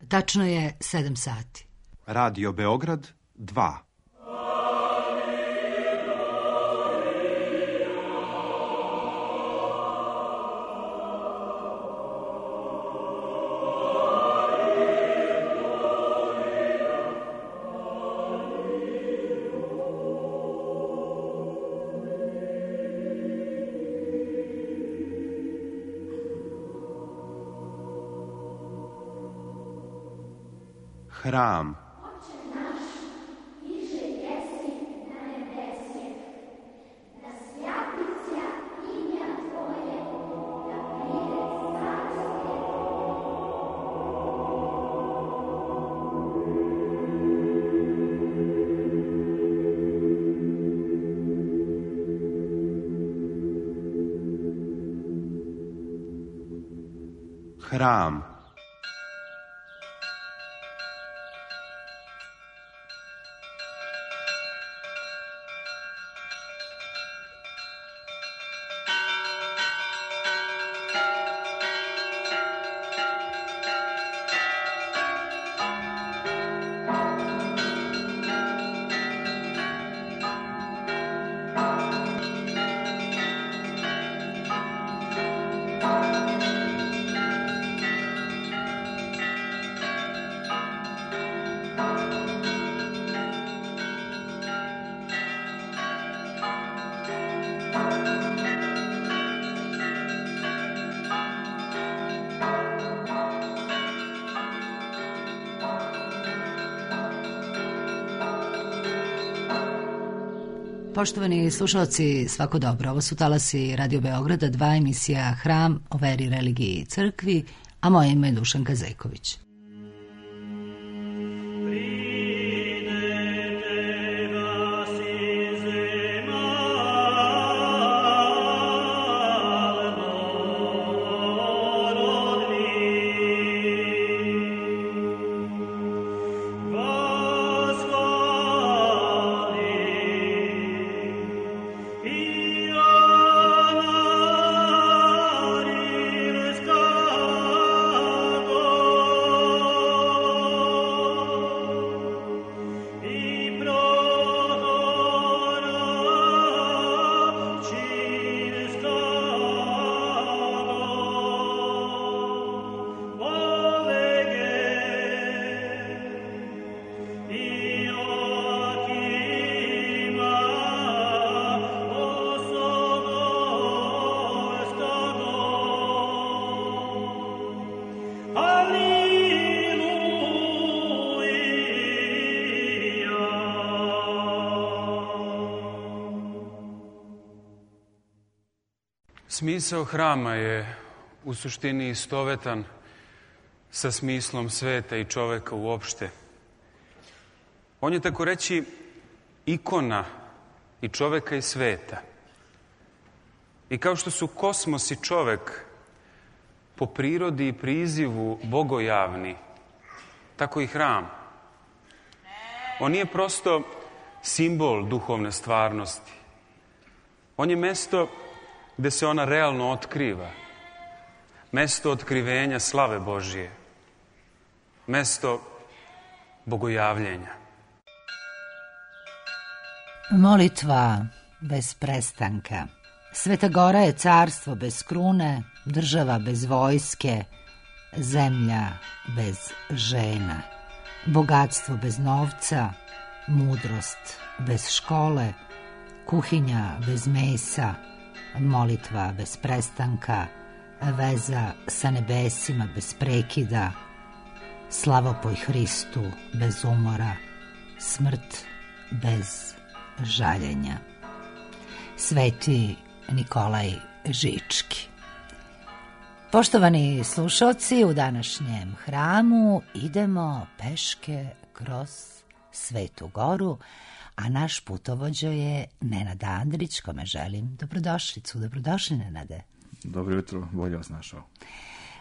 Tačno je 7 sati. Radio Beograd 2. Hram. Hram. Poštovani slušalci, svako dobro. Ovo su talasi Radio Beograda 2, emisija Hram o veri, religiji i crkvi, a moje ime je Dušanka Zejković. Smisao hrama je u suštini istovetan sa smislom sveta i čoveka uopšte. On je, tako reći, ikona i čoveka i sveta. I kao što su kosmos i čovek po prirodi i prizivu bogojavni, tako i hram. On nije prosto simbol duhovne stvarnosti. On je mesto gde se ona realno otkriva. Mesto otkrivenja slave Božije. Mesto bogojavljenja. Molitva bez prestanka. Sveta Gora je carstvo bez krune, država bez vojske, zemlja bez žena, bogatstvo bez novca, mudrost bez škole, kuhinja bez mesa, molitva bez prestanka, veza sa nebesima bez prekida, slavopoj Hristu bez umora, smrt bez žaljenja. Sveti Nikolaj Žički. Poštovani slušalci, u današnjem hramu idemo peške kroz Svetu Goru, a naš putovođa je Nenad Andrić, kome želim dobrodošlicu. Dobrodošli, Nenade. Dobro jutro, bolje vas našao.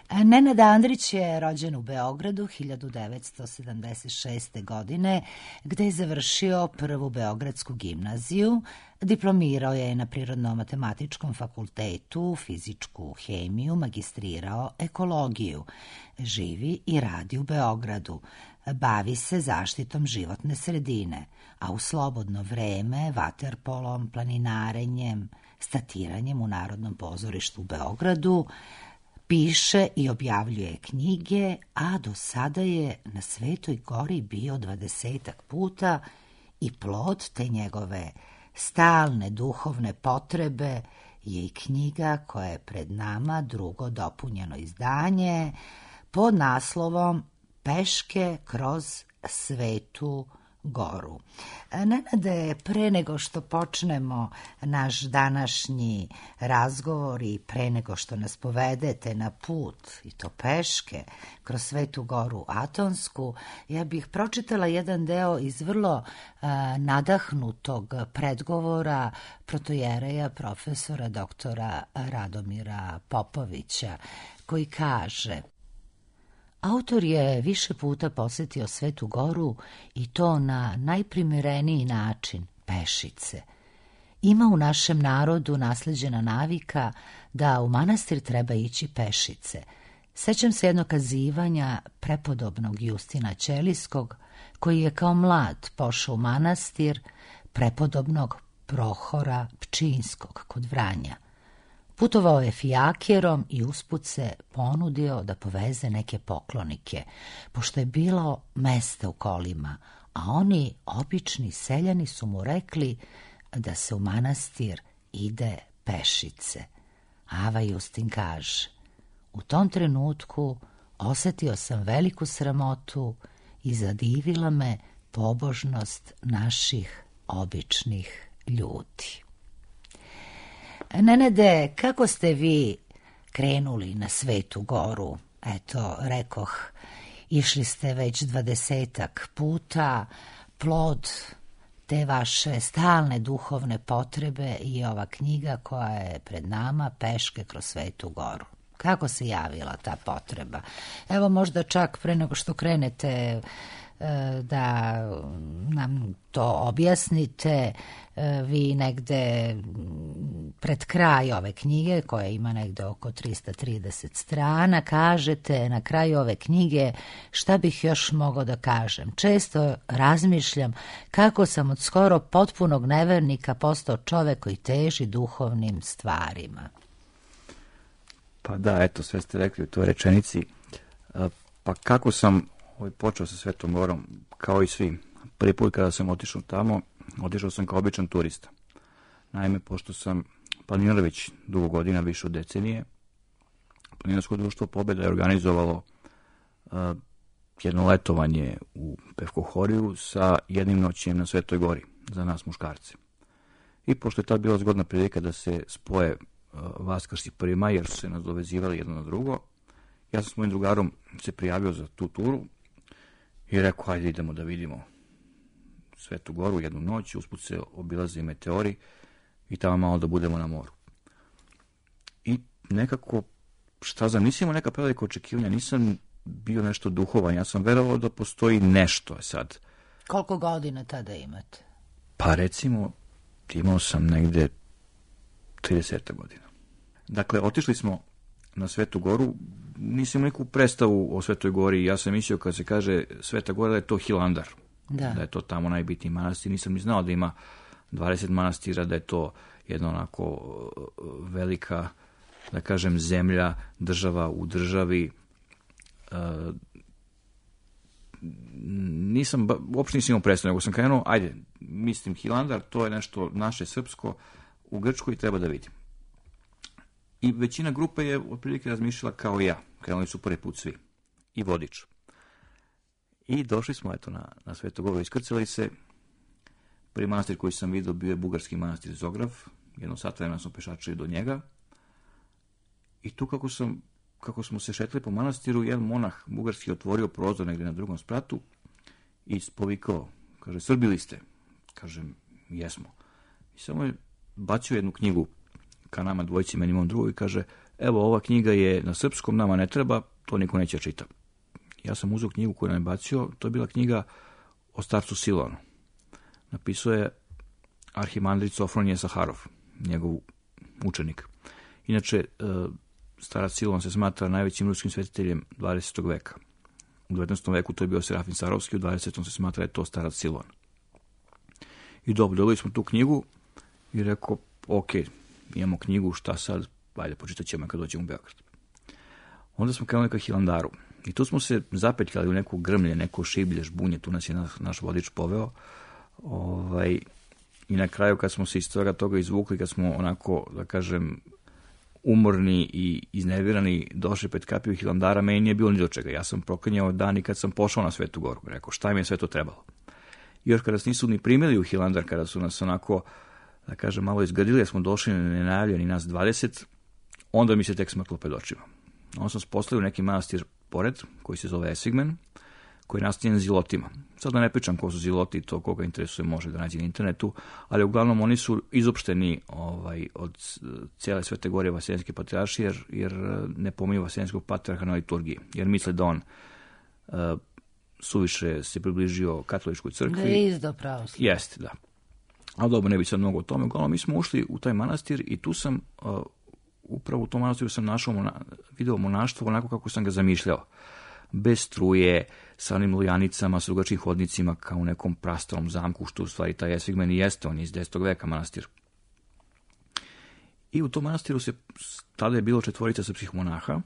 Nenad Andrić je rođen u Beogradu 1976. godine, gde je završio prvu Beogradsku gimnaziju, diplomirao je na Prirodno-matematičkom fakultetu, fizičku hemiju, magistrirao ekologiju. Živi i radi u Beogradu. Bavi se zaštitom životne sredine, a u slobodno vreme vaterpolom, planinarenjem, statiranjem u Narodnom pozorištu u Beogradu, piše i objavljuje knjige, a do sada je na Svetoj Gori bio 20 puta i plod te njegove stalne duhovne potrebe je i knjiga koja je pred nama, drugo dopunjeno izdanje, pod naslovom Peške kroz Svetu Goru. Nenade, pre nego što počnemo naš današnji razgovor i pre nego što nas povedete na put, i to peške, kroz Svetu Goru Atonsku, ja bih pročitala jedan deo iz vrlo nadahnutog predgovora protojereja profesora doktora Radomira Popovića, koji kaže: Autor je više puta posetio Svetu Goru i to na najprimereniji način, pešice. Ima u našem narodu nasleđena navika da u manastir treba ići pešice. Sećam se jednog kazivanja prepodobnog Justina Ćelijskog, koji je kao mlad pošao u manastir prepodobnog Prohora Pčinjskog kod Vranja. Putovao je fijakerom i usput se ponudio da poveze neke poklonike, pošto je bilo mesta u kolima, a oni, obični seljani, su mu rekli da se u manastir ide pešice. Ava Justin kaže: u tom trenutku osetio sam veliku sramotu i zadivila me pobožnost naših običnih ljudi. Nenade, kako ste vi krenuli na Svetu Goru? Eto, rekoh, išli ste već 20 puta, plod te vaše stalne duhovne potrebe i ova knjiga koja je pred nama, Peške kroz Svetu Goru. Kako se javila ta potreba? Evo, možda čak pre nego što krenete da nam to objasnite, vi negde pred kraj ove knjige, koja ima negde oko 330 strana, kažete na kraju ove knjige: šta bih još mogao da kažem? Često razmišljam kako sam od skoro potpunog nevernika postao čovek koji teži duhovnim stvarima. Pa da, eto, sve ste rekli u toj rečenici. Pa kako sam počeo sa Svetom Gorom, kao i svi. Prvi put kada sam otišao tamo, otišao sam kao običan turista. Naime, pošto sam planinar već dugo godina, više od decenije, Planinarsko društvo Pobeda je organizovalo jedno letovanje u Pevkohoriju sa jednim noćenjem na Svetoj Gori za nas muškarce. I pošto je tad bila zgodna prilika da se spoje Vaskrs i 1. maj, jer su se nadovezivali jedno na drugo, ja sam s mojim drugarom se prijavio za tu turu i rekao: hajde idemo da vidimo Svetu Goru jednu noć, usput se obilaze i meteori i tamo malo da budemo na moru. I nekako, šta znam, nisam imao neka prevelika očekivanja, nisam bio nešto duhovan, ja sam verovao da postoji nešto sad. Koliko godina tada imate? Pa recimo, imao sam negde 30 godina. Dakle, otišli smo na Svetu Goru, nisam neku predstavu o Svetoj Gori, ja sam mislio kad se kaže Sveta Gora da je to Hilandar, da je to tamo najbitniji manastir, nisam ni znao da ima 20 manastira, da je to jedna onako velika, da kažem, zemlja, država u državi. Uopšte nisam imao predstavu, nego sam krenuo, ajde, mislim Hilandar, to je nešto naše srpsko, u Grčkoj treba da vidim. I većina grupe je otprilike razmišljala kao i ja. Krenuli su prvi put svi. I vodič. I došli smo eto na Svetu Goru, iskrcali se. Prvi manastir koji sam vidio bio je bugarski manastir Zograf. Jedno sat vremena smo pešačili do njega. I tu kako smo se šetali po manastiru, jedan monah bugarski otvorio prozor negdje na drugom spratu i povikao, kaže: Srbili ste? Kažem: jesmo. I samo je bacio jednu knjigu ka nama dvojici, meni imam drugu, i kaže: evo, ova knjiga je na srpskom, nama ne treba, to niko neće čita. Ja sam uzeo knjigu koju nam je bacio, to je bila knjiga o starcu Silonu. Napisao je arhimandrit Sofronije Saharov, njegov učenik. Inače, starac Silon se smatra najvećim ruskim svetiteljem 20. veka. U 19. veku to je bio Serafin Sarovski, u 20. se smatra je to starac Silon. I dobro, dobili smo tu knjigu i rekao, ok, imamo knjigu, šta sad, ajde, počitat ćemo kad dođemo u Beograd. Onda smo krenuli ka Hilandaru. I tu smo se zapetljali u neku grmlje, neko šiblje, žbunje, tu nas je naš vodič poveo. I na kraju, kad smo se iz toga izvukli, kad smo onako, da kažem, umorni i iznervirani, došli pred kapiju Hilandara, meni nije bilo ni do čega. Ja sam proklinjao dan i kad sam pošao na Svetu Goru. Rekao, šta mi je sve to trebalo? I još kada nas nisu ni primili u Hilandar, kada su nas onako, da kažem, malo izgrdili, smo došli nenajavljeni nas 20, onda mi se tek smrklo pred očima. Onda sam se postavio neki manastir pored, koji se zove Esigmen, koji je nastavljen zilotima. Sad da ne pričam ko su ziloti, to koga interesuje može da nađe na internetu, ali uglavnom oni su izopšteni od cijele Svete Gore Vaseljenske patrijaršije, jer ne pominju Vaseljenskog patrijarha na liturgiji, jer misle da on suviše se približio katoličkoj crkvi. Da je izdao pravoslavlje. Jeste, da. Ali dobro, ne bi sad mnogo o tome. Uglavnom, mi smo ušli u taj manastir i tu sam, upravo u tom manastiru sam video monaštvo onako kako sam ga zamišljao. Bez struje, sa onim lojanicama, sa drugačijim hodnicima, kao u nekom prastarom zamku, što u stvari taj Esigmen i jeste, on je iz 10. veka manastir. I u tom manastiru tada je bilo 4 srpskih monaha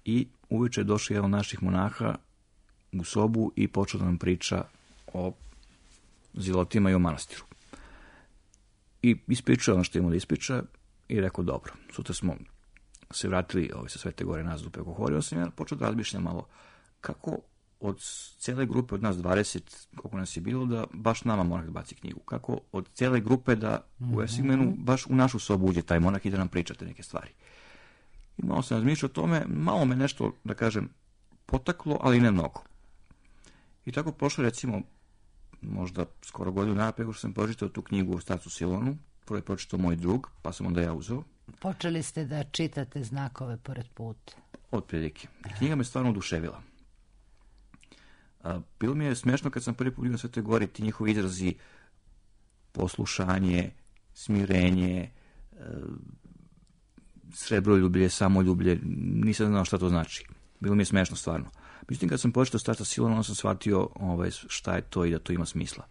i uveče je došao jedan od naših monaha u sobu i počeo da nam priča o zilotima i o manastiru. I ispričao ono što imamo da ispriča i rekao, dobro, sutra smo se vratili sa Svete Gore nazad u Pekohorio, sam ja počeo da razmišljam malo kako od cijele grupe od nas 20, koliko nas je bilo, da baš nama monah baci knjigu. Kako od cijele grupe da u Esigmenu baš u našu sobu uđe taj monah i da nam pričate neke stvari. I malo sam razmišljao o tome, malo me nešto, da kažem, potaklo, ali ne mnogo. I tako prošlo, recimo, možda skoro godinu dana preko što sam pročitao tu knjigu o starcu Silonu. Prvo je pročitao moj drug, pa sam onda ja uzeo. Počeli ste da čitate znakove pored puta. Otprilike. Knjiga me stvarno oduševila. Bilo mi je smešno kad sam prvi put vidio na Svetoj Gori ti njihovi izrazi poslušanje, smirenje, srebroljublje, samoljublje, nisam znao šta to znači. Bilo mi je smešno stvarno. Međutim, kad sam počeo starta Silona, onda sam shvatio šta je to i da to ima smisla.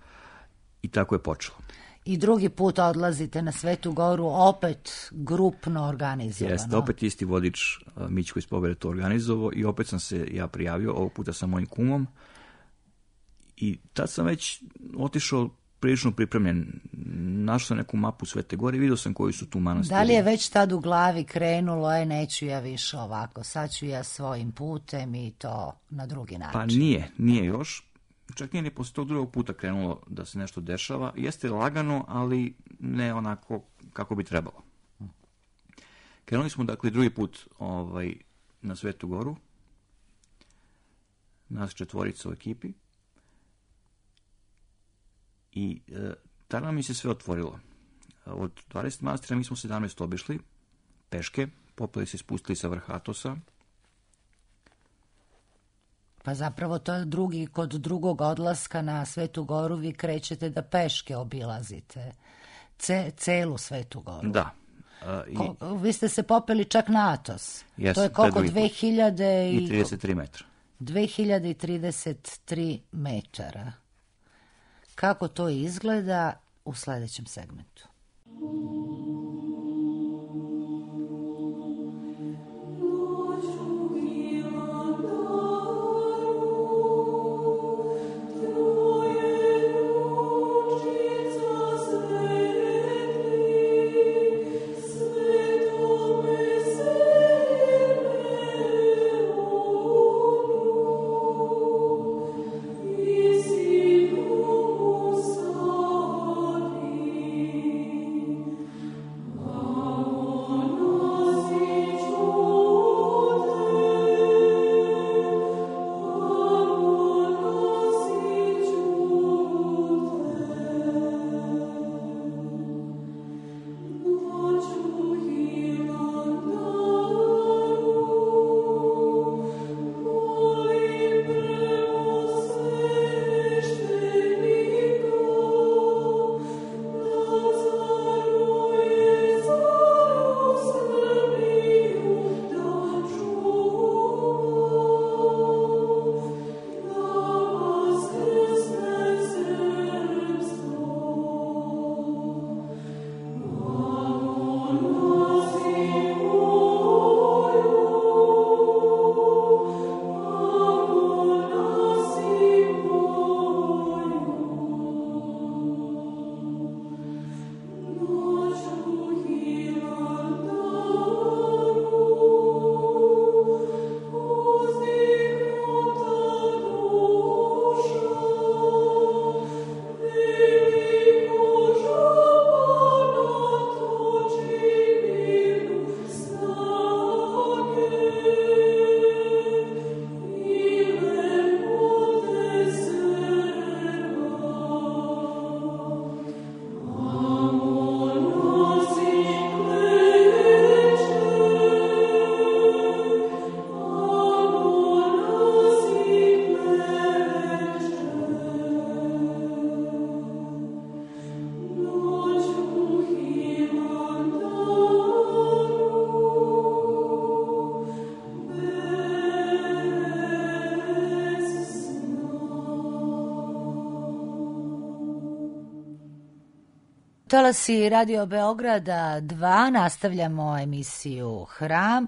I tako je počelo. I drugi put odlazite na Svetu Goru, opet grupno organizovano. Jeste, opet isti vodič Mićko iz Pobere to organizovao i opet sam se ja prijavio, ovog puta sa mojim kumom. I tad sam već otišao prilično pripremljen. Našao sam neku mapu Svete Gore i vidio sam koji su tu manastiri. Da li je već tad u glavi krenulo, neću ja više ovako, sad ću ja svojim putem i to na drugi način? Pa nije još. Čak nije ni posle tog drugog puta krenulo da se nešto dešava. Jeste lagano, ali ne onako kako bi trebalo. Krenuli smo, dakle, drugi put na Svetu Goru. Nas 4 u ekipi. I tada mi se sve otvorilo. Od 20 manastira mi smo 17 obišli, peške, popeli se spustili sa vrha Atosa. Pa zapravo to je kod drugog odlaska na Svetu Goru vi krećete da peške obilazite. Celu Svetu Goru. Da. Vi ste se popeli čak na Atos. To je koliko? 2033 metra. 2033 metara. Kako to izgleda u sljedećem segmentu. Talasi Radio Beograda 2, nastavljamo emisiju Hram,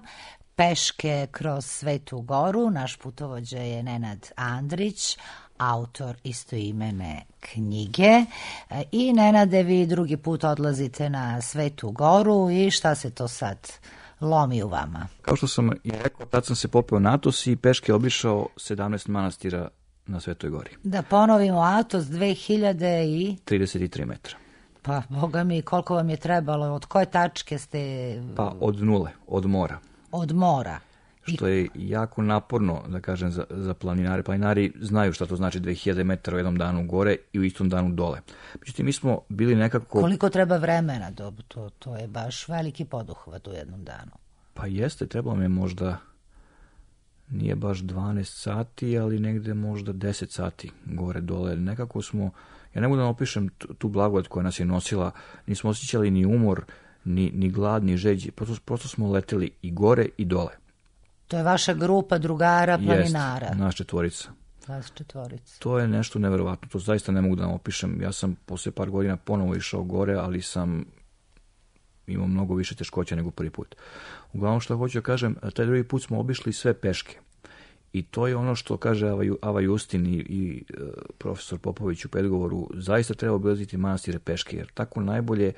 peške kroz Svetu Goru. Naš putovođa je Nenad Andrić, autor istoimene knjige. I Nenade, vi drugi put odlazite na Svetu Goru i šta se to sad lomi u vama? Kao što sam i rekao, tad sam se popeo na Atos i peške obišao 17 manastira na Svetoj Gori. Da ponovimo, Atos 2033 metra. Pa, boga mi, koliko vam je trebalo? Od koje tačke ste... Pa, od nule, od mora. Od mora. Što je jako naporno, da kažem, za planinare. Planinari znaju šta to znači 2000 metara u jednom danu gore i u istom danu dole. Međutim, mi smo bili nekako... Koliko treba vremena? To je baš veliki poduhvat u jednom danu. Pa jeste, trebalo mi je možda... Nije baš 12 sati, ali negde možda 10 sati gore dole. Nekako smo... Ja ne mogu da opišem tu blagodat koja nas je nosila. Nismo osjećali ni umor, ni glad, ni žeđi. Prosto smo leteli i gore i dole. To je vaša grupa drugara, planinara. Jest, naš četvorica. Vas četvorica. To je nešto neverovatno. To zaista ne mogu da vam opišem. Ja sam posle par godina ponovo išao gore, ali sam imao mnogo više teškoća nego prvi put. Uglavnom što hoću da kažem, taj drugi put smo obišli sve peške. I to je ono što kaže Ava Justin i profesor Popović u predgovoru, zaista treba obilaziti manastire peške, jer tako najbolje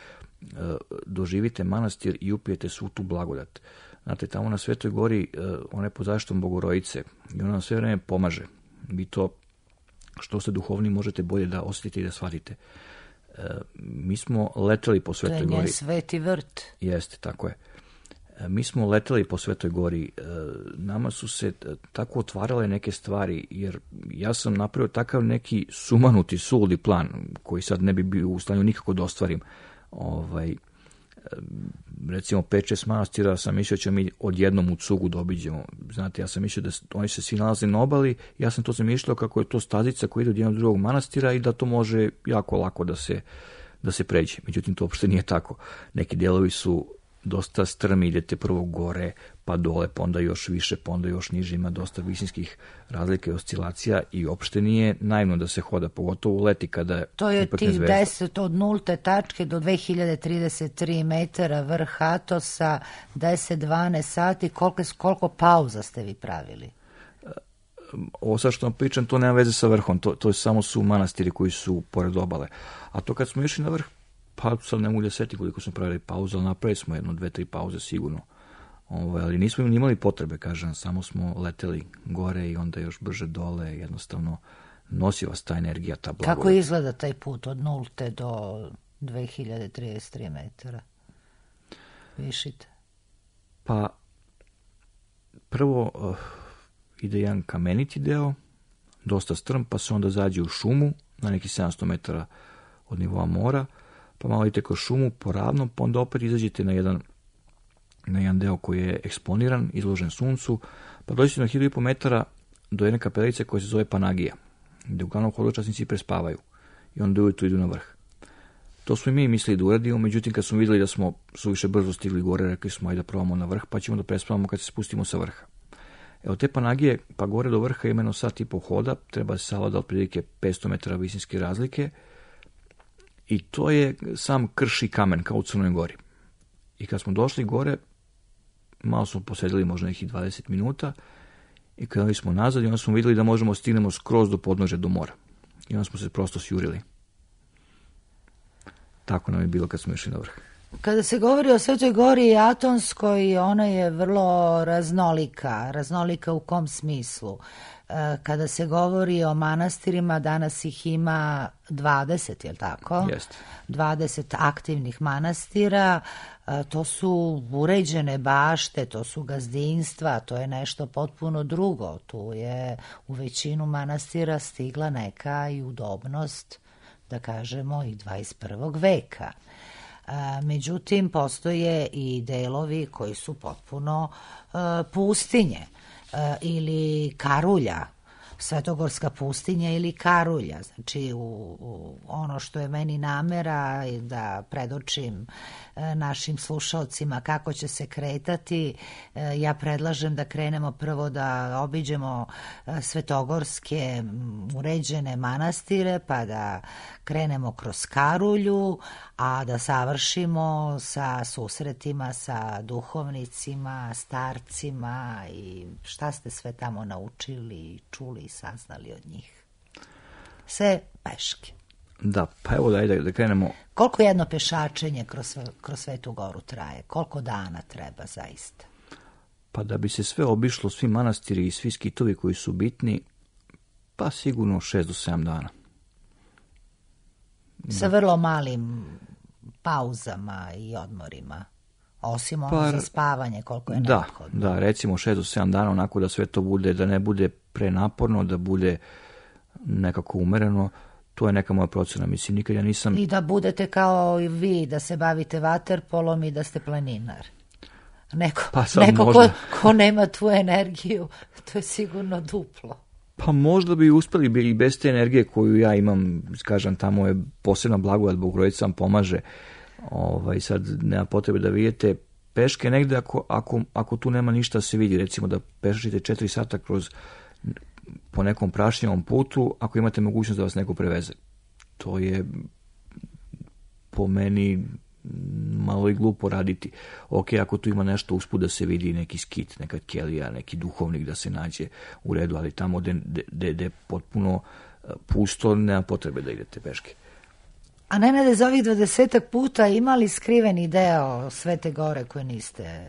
doživite manastir i upijete svu tu blagodat. Znate, tamo na Svetoj Gori, ona je pod zaštitom Bogorodice i ona nam sve vreme pomaže. Vi to, što ste duhovni, možete bolje da osjetite i da shvatite. Mi smo leteli po Svetoj Gori. To je njen sveti vrt. Jeste, tako je. Mi smo leteli po Svetoj Gori, nama su se tako otvarale neke stvari, jer ja sam napravio takav neki sumanuti, suludi plan, koji sad ne bi bio u stanju nikako da ostvarim. Recimo 5-6 manastira sam mislio da ćemo mi odjednom u cugu da obiđemo. Znate, ja sam mislio da oni se svi nalaze na obali, ja sam to zamišljao kako je to stazica koja ide od jednog drugog manastira i da to može jako lako da se pređe. Međutim, to uopšte nije tako. Neki delovi su dosta strmi, idete prvo gore, pa dole, pa onda još više, pa onda još niže, ima dosta visinskih razlika i oscilacija i uopšte nije naivno da se hoda, pogotovo u leti kada je to je ipak tih nezvezda. 10 od 0 tačke do 2033 metara vrh Atosa, 10-12 sati, koliko pauza ste vi pravili? Ovo sad što vam pričam, to nema veze sa vrhom, to samo su manastiri koji su pored obale. A to kad smo išli na vrh, pa sad ne mogu da seti koliko smo pravili pauzu, ali napravili smo 1-2-3 pauze sigurno. Ali nismo imali potrebe, kažem, samo smo leteli gore i onda još brže dole, jednostavno nosi vas ta energija, ta blagodat. Kako izgleda taj put od 0 do 2033 metara? Višite. Pa, prvo ide jedan kameniti deo, dosta strm, pa se onda zađe u šumu, na neki 700 metara od nivoa mora, pa malo idete kroz šumu po ravnom, pa onda opet izađete na jedan deo koji je eksponiran, izložen suncu, pa dođete na 1500 metara do jedne kapelice koja se zove Panagija, gde uglavnom hodočasnici prespavaju i onda ujutru idu na vrh. To smo i mi mislili da uradimo, međutim kad smo vidjeli da smo suviše brzo stigli gore, rekli smo ajde da probamo na vrh, pa ćemo da prespavamo kad se spustimo sa vrha. Evo te Panagije, pa gore do vrha imeno sat i po hoda, treba se savlada otprilike 500 metara visinske razlike, i to je sam krš i kamen, kao u Crnoj Gori. I kad smo došli gore, malo smo posedili možda nekih 20 minuta i krenuli smo nazad i onda smo vidjeli da možemo stignemo skroz do podnožja do mora. I onda smo se prosto sjurili. Tako nam je bilo kad smo išli na vrh. Kada se govori o Svetoj Gori Atonskoj, ona je vrlo raznolika. Raznolika u kom smislu? Kada se govori o manastirima, danas ih ima 20, je li tako? Jeste. 20 aktivnih manastira, to su uređene bašte, to su gazdinstva, to je nešto potpuno drugo. Tu je u većinu manastira stigla neka i udobnost, da kažemo, i 21. veka. Međutim, postoje i delovi koji su potpuno pustinje ili karulja. Svetogorska pustinja ili Karulja. Znači, u ono što je meni namera je da predočim našim slušalcima kako će se kretati. Ja predlažem da krenemo prvo da obiđemo svetogorske uređene manastire, pa da krenemo kroz Karulju, a da savršimo sa susretima sa duhovnicima, starcima i šta ste sve tamo naučili, čuli i saznali od njih. Sve peške. Da, pa evo da krenemo. Koliko jedno pešačenje kroz Svetu Goru traje? Koliko dana treba zaista? Pa da bi se sve obišlo, svi manastiri i svi skitovi koji su bitni, pa sigurno 6 do 7 dana. Sa vrlo malim pauzama i odmorima. Osim ono za spavanje, koliko je neophodno. Da, recimo 6 do 7 dana, onako da sve to bude, da ne bude prenaporno, da bude nekako umereno. To je neka moja procena. Mislim, nikad ja nisam... I da budete kao i vi, da se bavite vaterpolom i da ste planinar. Neko ko nema tu energiju, to je sigurno duplo. Pa možda bi uspeli i bez te energije koju ja imam, kažem, tamo je posebna blagodat, Bogorodica vam pomaže. Sad nema potrebe da vidite peške negde ako tu nema ništa da se vidi. Recimo da pešačite 4 sata po nekom prašnjavom putu, ako imate mogućnost da vas neko preveze. To je po meni malo i glupo raditi. Ok, ako tu ima nešto usput da se vidi, neki skit, neka kelija, neki duhovnik da se nađe u redu, ali tamo gde je potpuno pusto, nema potrebe da idete peške. A Nenade, za ovih 20 puta imali skriveni deo Svete Gore koje niste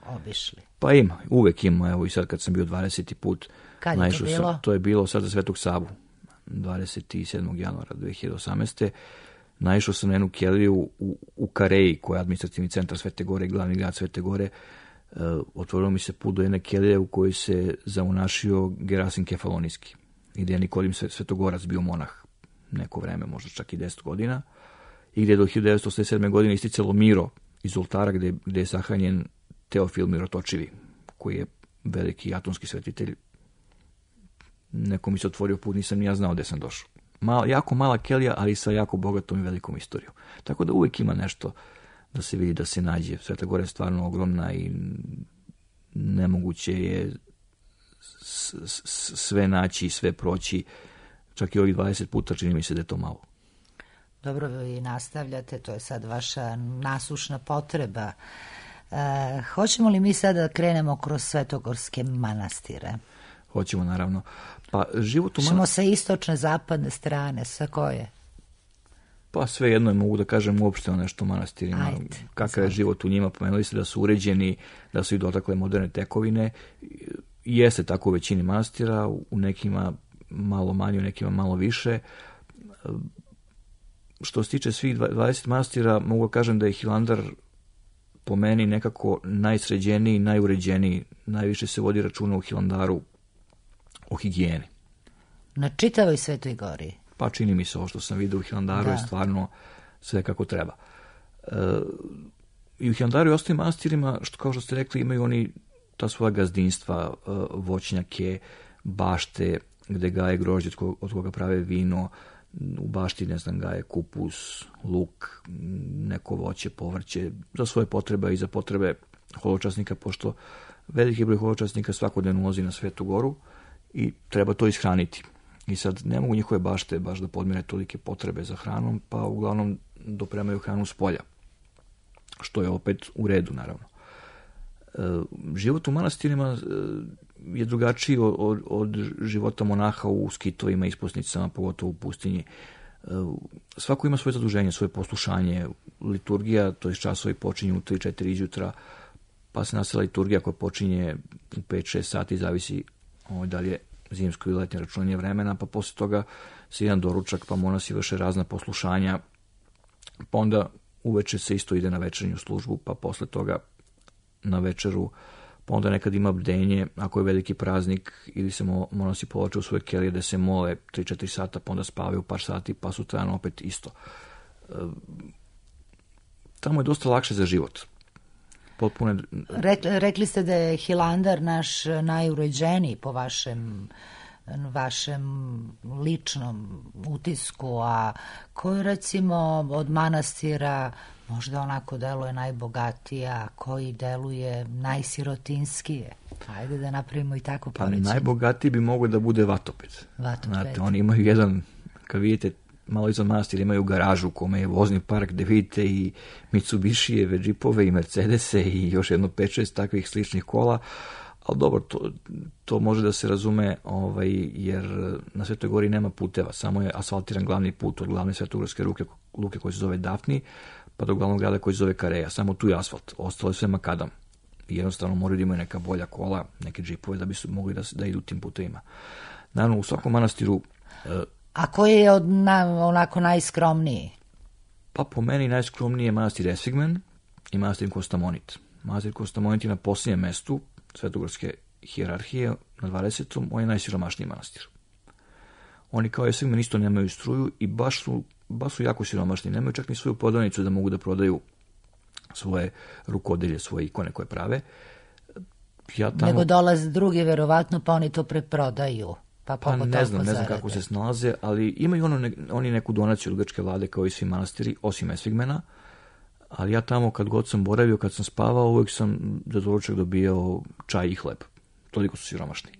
obišli? Pa ima, uvek ima. Evo i sad kad sam bio 20. put, kad je to bilo? To je bilo sad za Svetog Savu, 27. januara 2018. Naišao sam na jednu keliju u Kareji, koja je administrativni centar Svete Gore, glavni grad Svete Gore. Otvorilo mi se put do jedne kelije u kojoj se zaunašio Gerasim Kefalonijski i gdje je Nikodim Svetogorac bio monah neko vreme, možda čak i 10 godina, i gdje je do 1987. godine isticalo Miro iz oltara gdje je sahranjen Teofil Mirotočivi, koji je veliki atonski svetitelj. Neko mi se otvorio put, nisam ni ja znao gdje sam došao. Jako mala kelija, ali sa jako bogatom i velikom istorijom. Tako da uvijek ima nešto da se vidi, da se nađe. Sveta Gora je stvarno ogromna i nemoguće je sve naći i sve proći. Čak i ovih 20 puta čini mi se da je to malo. Dobro, vi nastavljate, to je sad vaša nasušna potreba. Hoćemo li mi sad da krenemo kroz svetogorske manastire? Hoćemo, naravno. Pa život Ćemo sa istočne, zapadne strane, sa koje? Pa sve jedno je, mogu da kažem uopšte o nešto manastirima. Kakav je život u njima, pomenuli ste da su uređeni, da su i dotakle moderne tekovine. Jeste tako u većini manastira, u nekima malo manje, u nekima malo više. Što se tiče svih 20 manastira, mogu da kažem da je Hilandar po meni nekako najsređeniji, najuređeniji. Najviše se vodi računa u Hilandaru o higijeni. Na čitavoj Svetoj Gori? Pa čini mi se ovo što sam vidio u Hilandaru je stvarno sve kako treba. I u Hilandaru i ostalim manastirima, kao što ste rekli, imaju oni ta svoja gazdinstva, voćnjake, bašte, gde gaje grožđe od koga prave vino, u bašti, ne znam, gaje kupus, luk, neko voće, povrće, za svoje potrebe i za potrebe holočasnika, pošto veliki broj holočasnika svakodnevno ulazi na Svetu Goru i treba to ishraniti. I sad ne mogu njihove bašte baš da podmire tolike potrebe za hranom, pa uglavnom dopremaju hranu s polja, što je opet u redu, naravno. Život u manastirima je drugačiji od života monaha u skitovima, isposnicama, pogotovo u pustinji. Svako ima svoje zaduženje, svoje poslušanje. Liturgija, to je časovi počinju u 3-4 izjutra, pa se nastavlja liturgija koja počinje u 5-6 sati, zavisi da li je zimsko ili letnje računanje vremena, pa posle toga se jedan doručak, pa monasi vrše razna poslušanja, pa onda uveče se isto ide na večernju službu, pa posle toga na večeru, pa onda nekad ima bdenje, ako je veliki praznik, ili se monasi povlače u svoje kelije da se mole 3-4 sata, pa onda spavaju par sati, pa sutradan opet isto. Tamo je dosta lakše za život. Rekli ste da je Hilandar naš najuređeniji po vašem vašem ličnom utisku, a koji recimo od manastira možda onako deluje najbogatija, koji deluje najsirotinskije? Ajde da napravimo i tako poređenje. Pa najbogatiji bi mogao da bude Vatoped. Znate, oni imaju jedan, kad vidite, malo iznad manastira imaju garažu u kome je vozni park gde vidite i Mitsubishijeve, džipove i Mercedese i još jedno 5-6 takvih sličnih kola. Ali dobro, to može da se razume, jer na Svetoj Gori nema puteva, samo je asfaltiran glavni put od glavne svetogorske luke koji se zove Dafni, pa do glavnog grada koji se zove Kareja. Samo tu je asfalt, ostalo je sve makadam. I jednostavno moraju da imaju neka bolja kola, neke džipove da bi su mogli da idu tim putevima. Naravno, u svakom manastiru... A koji je onako najskromniji? Pa po meni najskromniji je manastir Esfigmen i manastir Kostamonit. Manastir Kostamonit je na posljednjem mestu svetogorske hijerarhije na 20. On je najsiromašniji manastir. Oni kao Esfigmen isto nemaju struju i baš su jako siromašni. Nemaju čak ni svoju prodavnicu da mogu da prodaju svoje rukodelje, svoje ikone koje prave. Nego dolaze drugi, verovatno, pa oni to preprodaju. Pa ne znam kako se snalaze, ali imaju oni neku donaciju od grčke vlade kao i svi manastiri, osim Esfigmena, ali ja tamo kad god sam boravio, kad sam spavao, uvijek sam za doručak dobijao čaj i hleb. Toliko su siromašni.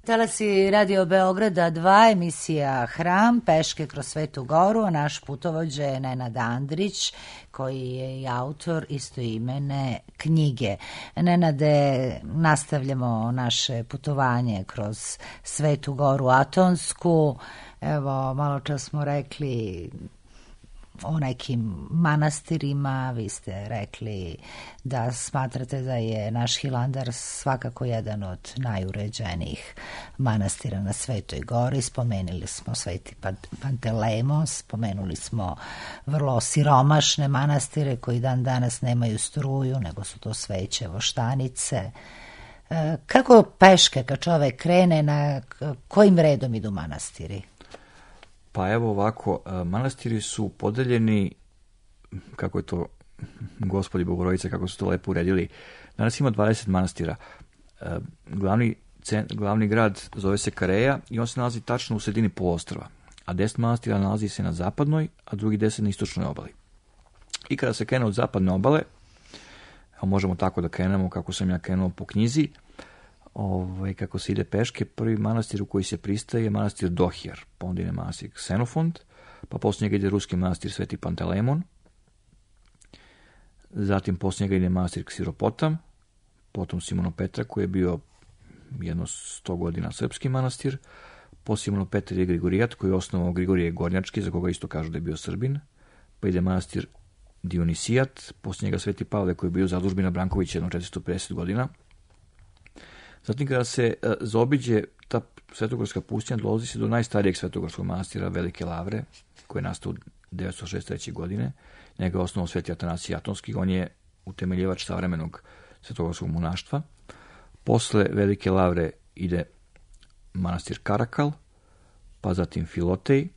Talasi Radio Beograda 2, emisija Hram, peške kroz Svetu Goru, a naš putovođa je Nenad Andrić, koji je i autor istoimene knjige. Nenade, nastavljamo naše putovanje kroz Svetu Goru Atonsku. Evo, malo čas smo rekli o nekim manastirima, vi ste rekli da smatrate da je naš Hilandar svakako jedan od najuređenijih manastira na Svetoj Gori. Spomenuli smo Sveti Pantelejmon, spomenuli smo vrlo siromašne manastire koji dan danas nemaju struju, nego su to sveće voštanice. Kako peške kad čovek krene, na kojim redom idu manastiri? Pa evo ovako, manastiri su podeljeni, kako je to Gospodi Bogorodice, kako su to lepo uredili. Danas ima 20 manastira. Glavni grad zove se Kareja i on se nalazi tačno u sredini poluostrva. A 10 manastira nalazi se na zapadnoj, a drugi 10 na istočnoj obali. I kada se krene od zapadne obale, možemo tako da krenemo kako sam ja krenuo po knjizi, kako se ide peške, prvi manastir u koji se pristaje je manastir Dohjer, pa onda ide manastir Ksenofont, pa poslije njega ide ruski manastir Sveti Pantelejmon, zatim poslije njega ide manastir Ksiropotam, potom Simono Petra koji je bio jedno 100 godina srpski manastir, po Simono Petra je Grigorijat koji je osnovao Grigorije Gornjački, za koga isto kažu da je bio Srbin, pa ide manastir Dionisijat, poslije njega Sveti Pavle koji je bio zadužbina Brankovića jedno 450 godina. Zatim kada se zaobiđe ta svetogorska pustinja, dolazi se do najstarijeg svetogorskog manastira Velike Lavre, koji je nastao 963. godine. Njega je osnovao Sveti Atanasij Atonski, on je utemeljivač savremenog svetogorskog monaštva. Posle Velike Lavre ide manastir Karakal, pa zatim Filotej.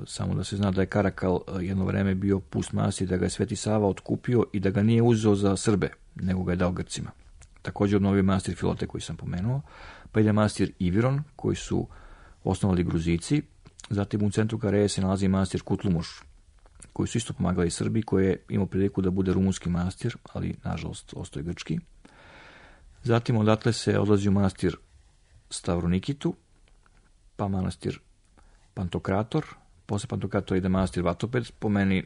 Samo da se zna da je Karakal jedno vreme bio pust manastir, da ga je Sveti Sava otkupio i da ga nije uzeo za Srbe, nego ga je dao Grcima. Također obnovio manastir Filotej koji sam pomenuo, pa ide manastir Iviron koji su osnovali Gruzici, zatim u centru Karaje se nalazi manastir Kutlumuš koji su isto pomagali Srbi, koji je imao priliku da bude rumunski manastir, ali nažalost ostao je grčki. Zatim odatle se odlazi u manastir Stavronikitu, pa manastir Pantokrator, posle Pantokratora ide manastir Vatoped, po meni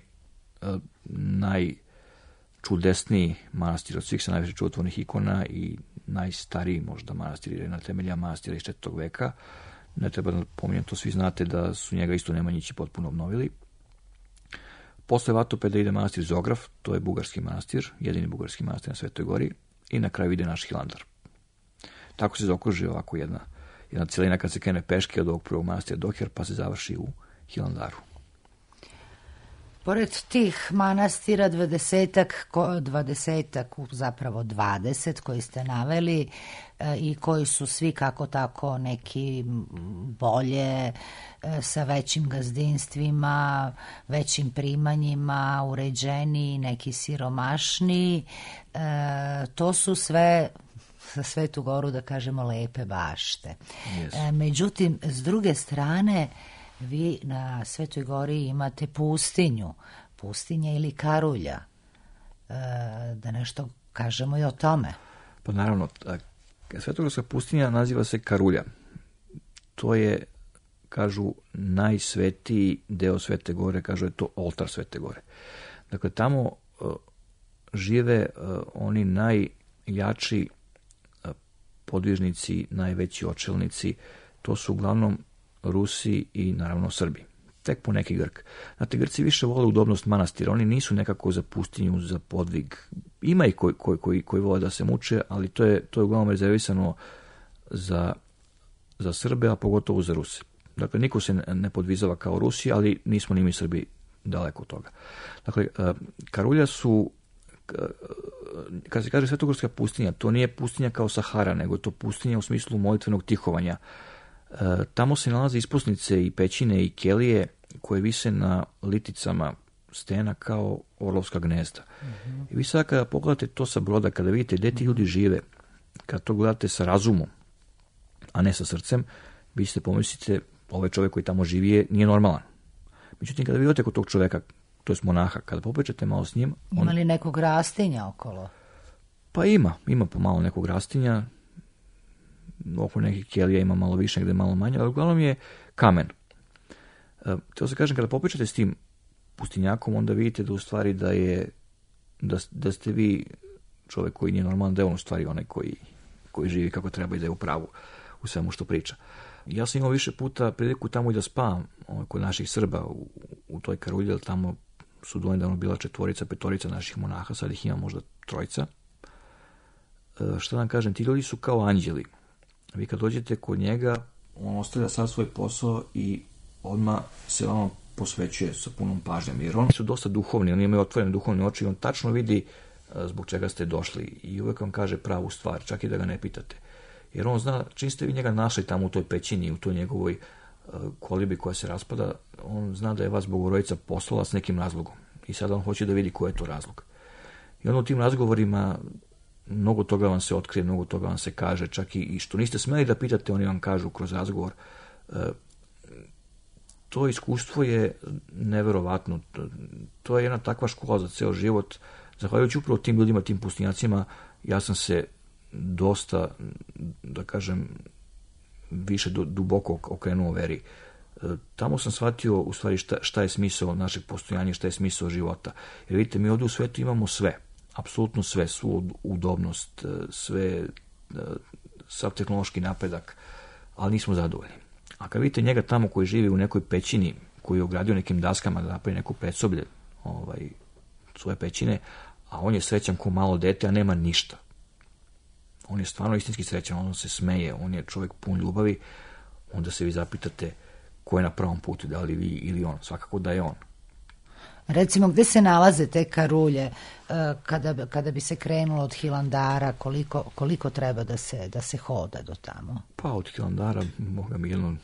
najčudesniji manastir od svih sa najviše čudotvornih ikona i najstariji možda manastir, jer je na temelja manastira iz 4. veka. Ne treba da pominjem, to svi znate da su njega isto Nemanjići potpuno obnovili. Posle Vatopeda ide manastir Zograf, to je bugarski manastir, jedini bugarski manastir na Svetoj gori, i na kraju ide naš Hilandar. Tako se zaokruži ovako jedna cijelina kad se krene peške od ovog prvog manastira Doher, pa se završi u Hilandaru. Pored tih manastira 20 koji ste naveli i koji su svi kako tako neki bolje, sa većim gazdinstvima, većim primanjima, uređeniji, neki siromašniji, to su sve za Svetu Goru, da kažemo, lepe bašte. Yes. Međutim, s druge strane, vi na Svetoj Gori imate pustinja ili karulja. Da nešto kažemo i o tome. Pa naravno, Svetogorska pustinja naziva se Karulja. To je, kažu, najsvetiji deo Svete Gore, kažu je to oltar Svete Gore. Dakle, tamo žive oni najjači podvižnici, najveći očelnici, to su uglavnom Rusi i naravno Srbi. Tek po neki Grk. Znate, Grci više vole udobnost manastira, oni nisu nekako za pustinju, za podvig. Ima i koji vole da se muče, ali to je uglavnom rezervisano za Srbe, a pogotovo za Ruse. Dakle, niko se ne podvizava kao Rusi, ali nismo ni mi Srbi daleko od toga. Dakle, Karulja su, kad se kaže Svetogorska pustinja, to nije pustinja kao Sahara, nego je to pustinja u smislu molitvenog tihovanja. Tamo se nalaze isposnice i pećine i kelije koje vise na liticama stena kao orlovska gnezda. Mm-hmm. I vi sad kada pogledate to sa broda, kada vidite gde ti ljudi žive, kada to gledate sa razumom, a ne sa srcem, vi ćete pomislite, ovaj čovjek koji tamo živi nije normalan. Međutim, kada vi odete kod tog čovjeka, to je monaha, kada popričate malo s njim... Ima li nekog rastinja okolo? Pa ima pomalo nekog rastinja, oko nekih kelija ima malo više, negde malo manje, ali uglavnom je kamen. Teo se kažem, kada popričate s tim pustinjakom, onda vidite da u stvari da ste vi čovjek koji nije normalan, da je on u stvari onaj koji živi kako treba i da je u pravu u svemu što priča. Ja sam imao više puta priliku tamo i da spavam kod naših Srba u toj Karulji, ali tamo su donedavno bila 4, 5 naših monaha, sad ih ima možda 3. Šta da vam kažem, ti ljudi su kao anđeli. Vi kad dođete kod njega, on ostavlja sad svoj posao i odmah se vama posvećuje sa punom pažnjom, jer oni su dosta duhovni, oni imaju otvorene duhovne oči i on tačno vidi zbog čega ste došli i uvek vam kaže pravu stvar, čak i da ga ne pitate. Jer on zna, čim ste vi njega našli tamo u toj pećini, u toj njegovoj kolibi koja se raspada, on zna da je vas Bogorodica poslala s nekim razlogom i sada on hoće da vidi koji je to razlog. I onda u tim razgovorima mnogo toga vam se otkrije, mnogo toga vam se kaže, čak i što niste smeli da pitate, oni vam kažu kroz razgovor. To iskustvo je neverovatno. To je jedna takva škola za ceo život. Zahvaljujući upravo tim ljudima, tim pustinjacima, ja sam se dosta, da kažem, više duboko okrenuo veri. Tamo sam shvatio u stvari šta je smisao našeg postojanja, šta je smisao života. Jer vidite, mi ovdje u svetu imamo sve. Apsolutno sve, svu udobnost, sav tehnološki napredak, ali nismo zadovoljni. A kad vidite njega tamo koji živi u nekoj pećini, koji je ogradio nekim daskama da napravi neko predsoblje svoje pećine, a on je srećan ko malo dete, a nema ništa. On je stvarno istinski srećan, on se smeje, on je čovjek pun ljubavi, onda se vi zapitate ko je na pravom putu, da li vi ili on, svakako da je on. Recimo, gde se nalaze te Karulje kada bi se krenulo od Hilandara, koliko treba da se hoda do tamo? Pa od Hilandara, boga mi, jedno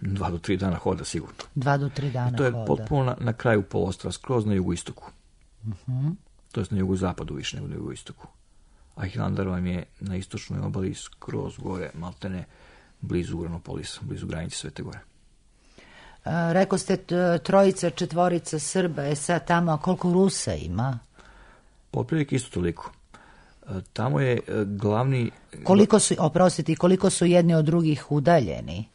2 do 3 dana hoda sigurno. 2 do 3 dana I to je hoda. potpuno na kraju poluostrva, skroz na jugoistoku. To je na jugozapadu više nego na jugoistoku. A Hilandar vam je na istočnoj obali skroz gore, maltene blizu Uranopolisa, blizu granice Svete Gore. Rekao ste 3-4 Srba, sad tamo koliko Rusa ima? Otprilike isto toliko. Tamo je glavni... Koliko su jedni od drugih udaljeni?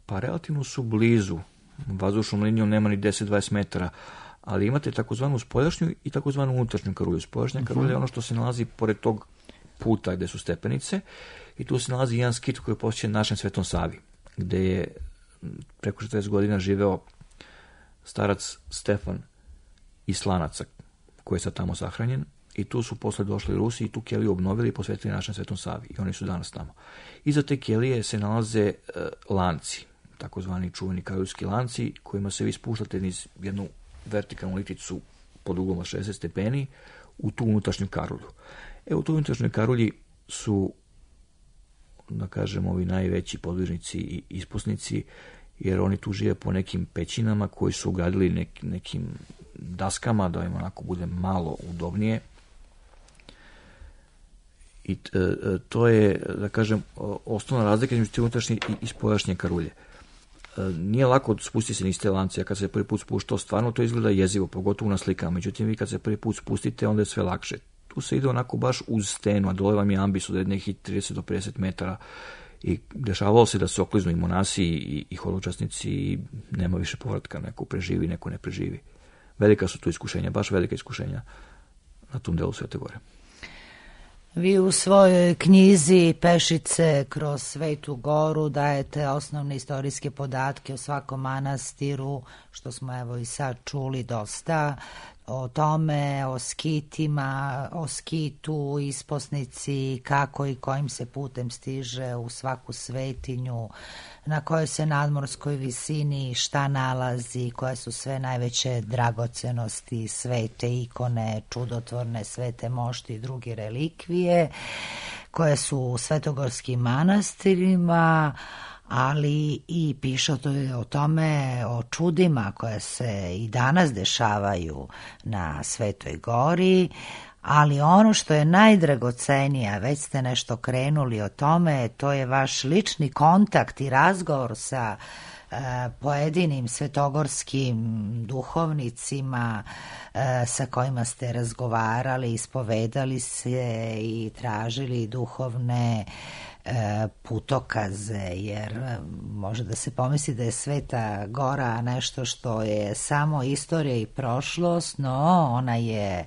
Pa relativno su blizu. Vazdušnom linijom nema ni 10-20 metara, ali imate takozvanu spoljašnju i takozvanu unutrašnju karulju. Spoljašnja karulja je ono što se nalazi pored tog puta gde su stepenice i tu se nalazi jedan skit koji je posjećen našem Svetom Savi, gde je preko 40 godina živeo starac Stefan iz Slanaca, koji je sad tamo sahranjen, i tu su posle došli Rusi i tu keliju obnovili i posvetili našem Svetom Savi i oni su danas tamo. Iza te kelije se nalaze lanci, takozvani čuveni karuljski lanci, kojima se vi spuštate niz jednu vertikalnu liticu pod uglom od 60 stepeni u tu unutrašnju karulju. U tu unutrašnjoj karulji su, da kažem, ovi najveći podvižnici i ispusnici, jer oni tu žive po nekim pećinama koji su ugradili nekim daskama da im onako bude malo udobnije. I to je, da kažem, osnovna razlika između te unutrašnje i spoljašnje karulje. Nije lako spustiti se niz te lance, a kad se prvi put spuštao, stvarno to izgleda jezivo, pogotovo na slikama. Međutim, vi kad se prvi put spustite, onda je sve lakše. Tu se ide onako baš uz stenu, a dole vam je ambis od nekih 30 do 50 metara i dešavalo se da se okliznu i monasi i hodočasnici i nema više povratka, neko preživi, neko ne preživi. Velika su tu iskušenja, baš velika iskušenja na tom delu Svete Gore. Vi u svojoj knjizi Pešice kroz Svetu Goru dajete osnovne istorijske podatke o svakom manastiru, što smo evo i sad čuli dosta, o tome, o skitima, o skitu, isposnici, kako i kojim se putem stiže u svaku svetinju, na kojoj se nadmorskoj visini šta nalazi, koje su sve najveće dragocenosti, svete ikone, čudotvorne svete mošti i druge relikvije, koje su u svetogorskim manastirima, ali i piše o tome, o čudima koje se i danas dešavaju na Svetoj Gori, ali ono što je najdragocenije, već ste nešto krenuli o tome, to je vaš lični kontakt i razgovor sa pojedinim svetogorskim duhovnicima sa kojima ste razgovarali, ispovedali se i tražili duhovne putokaze, jer može da se pomisli da je Sveta Gora nešto što je samo istorija i prošlost, no ona je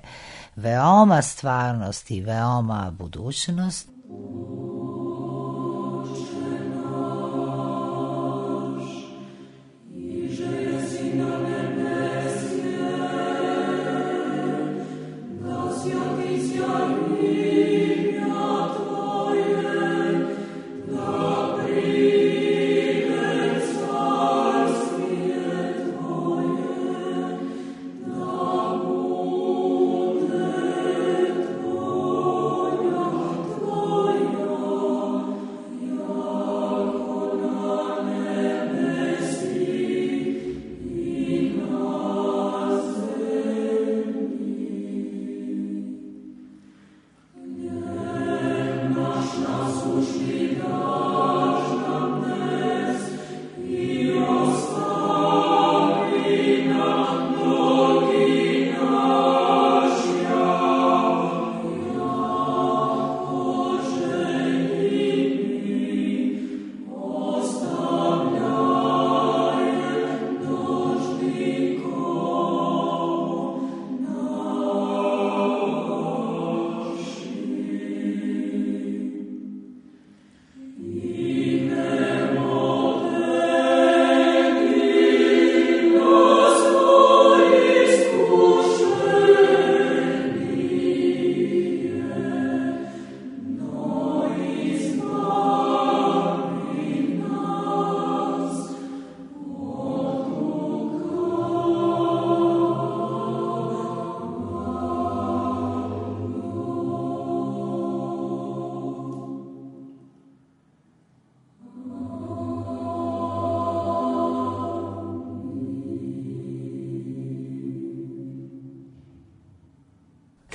veoma stvarnost i veoma budućnost.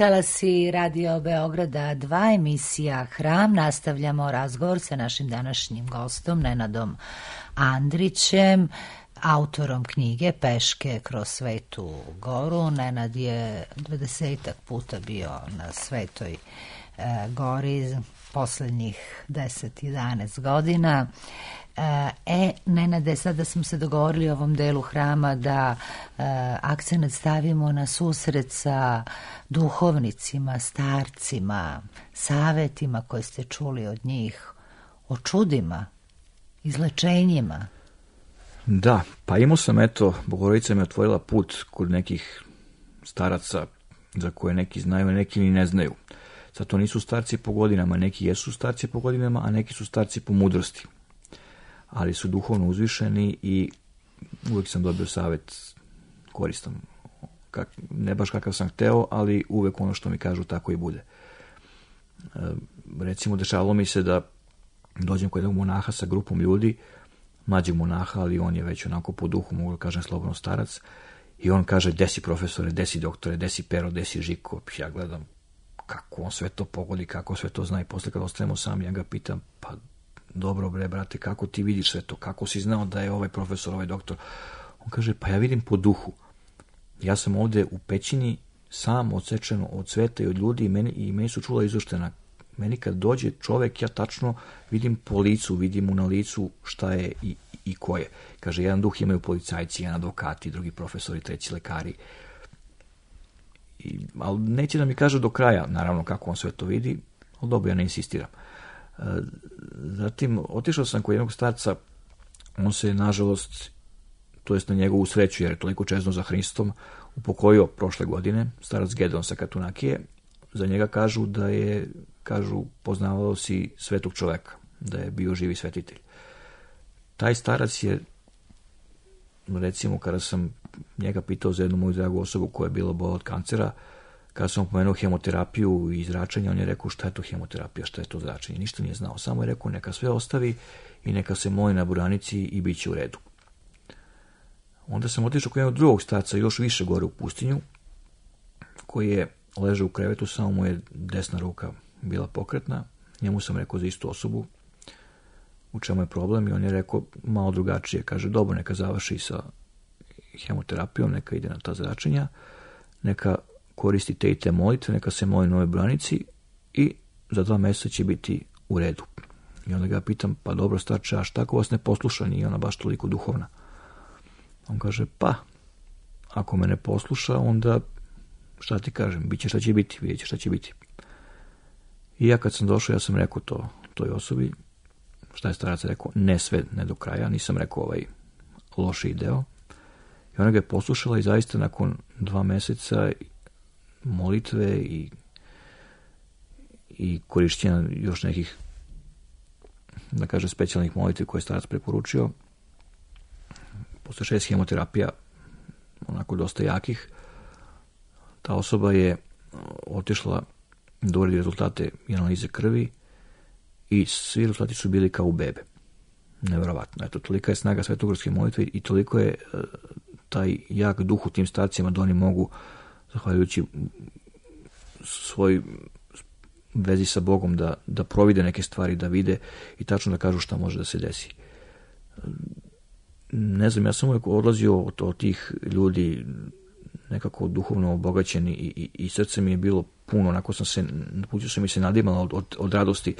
talasi Radio Beograda 2, emisija Hram. Nastavljamo razgovor sa našim današnjim gostom, Nenadom Andrićem, autorom knjige Peške kroz Svetu Goru. Nenad je 20-ak puta bio na Svetoj Gori poslednjih 10-11 godina. Nenade, sada smo se dogovorili u ovom delu Hrama da akcenat stavimo na susret sa duhovnicima, starcima, savetima koje ste čuli od njih, o čudima, izlečenjima. Da, pa imao sam, Bogorodica mi otvorila put kod nekih staraca za koje neki znaju, a neki ni ne znaju. Sad to nisu starci po godinama, neki jesu starci po godinama, a neki su starci po mudrosti. Ali su duhovno uzvišeni i uvijek sam dobio savjet koristan. Ne baš kakav sam hteo, ali uvijek ono što mi kažu tako i bude. Recimo, dešavalo mi se da dođem kod jednog monaha sa grupom ljudi, mlađeg monaha, ali on je već onako po duhu, mogu da kažem slobodno starac, i on kaže, gde si profesore, gde si doktore, gde si Pero, gde si Žiko. Ja gledam kako on sve to pogodi, kako sve to zna, i posle kad ostanemo sami, ja ga pitam, pa dobro bre, brate, kako ti vidiš sve to, kako si znao da je ovaj profesor, ovaj doktor? On kaže, pa ja vidim po duhu. Ja sam ovde u pećini sam odsečen od sveta i od ljudi, i meni su čula izoštena. Meni kad dođe čovek, ja tačno vidim po licu, vidim mu na licu šta je i ko je. Kaže, jedan duh imaju policajci, jedan advokati, drugi profesori, treći lekari. Ali neće da mi kaže do kraja, naravno, kako on sve to vidi, ali dobro, ja ne insistiram. Zatim, otišao sam kod jednog starca, on se, nažalost, to jest na njegovu sreću, jer je toliko čezno za Hristom, upokojio prošle godine, starac Gedon sa Katunakije. Za njega kažu da je, poznavao si svetog čoveka, da je bio živi svetitelj. Taj starac je, recimo, kada sam njega pitao za jednu moju dragu osobu koja je bila bola od kancera, kada sam pomenuo hemoterapiju i zračenje, on je rekao, šta je to hemoterapija, šta je to zračenje, ništa nije znao, samo je rekao, neka sve ostavi i neka se moli na buranici i bit će u redu. Onda sam otišao kod jednog drugog starca, još više gore u pustinju, koji je ležao u krevetu, samo mu je desna ruka bila pokretna. Njemu sam rekao za istu osobu u čemu je problem, i on je rekao malo drugačije. Kaže, dobro, neka završi sa hemoterapijom, neka ide na ta zračenja, neka koristi te i te molitve, neka se moli na ovoj branici i za 2 mjeseca će biti u redu. I onda ga pitam, pa dobro starče, a šta ako vas ne posluša, nije ona baš toliko duhovna? On kaže, pa, ako me ne posluša, onda šta ti kažem, bit će šta će biti, vidjet će šta će biti. I ja kad sam došao, ja sam rekao to toj osobi, šta je starac rekao, ne sve, ne do kraja, nisam rekao ovaj loši deo. I ona ga je poslušala i zaista nakon 2 mjeseca molitve i korišćenja još nekih, da kaže, specijalnih molitvi koje je starac preporučio, posle 6 hemoterapija, onako dosta jakih, ta osoba je otišla da uredi rezultate i analize krvi i svi rezultati su bili kao u bebe. Neverovatno. Eto, tolika je snaga svetogorske molitve i toliko je taj jak duh u tim starcima da oni mogu, zahvaljujući svoj vezi sa Bogom, da provide neke stvari, da vide i tačno da kažu šta može da se desi. Ne znam, ja sam uvijek odlazio od tih ljudi nekako duhovno obogaćeni i srce mi je bilo puno, onako puću sam mi se nadimala od radosti.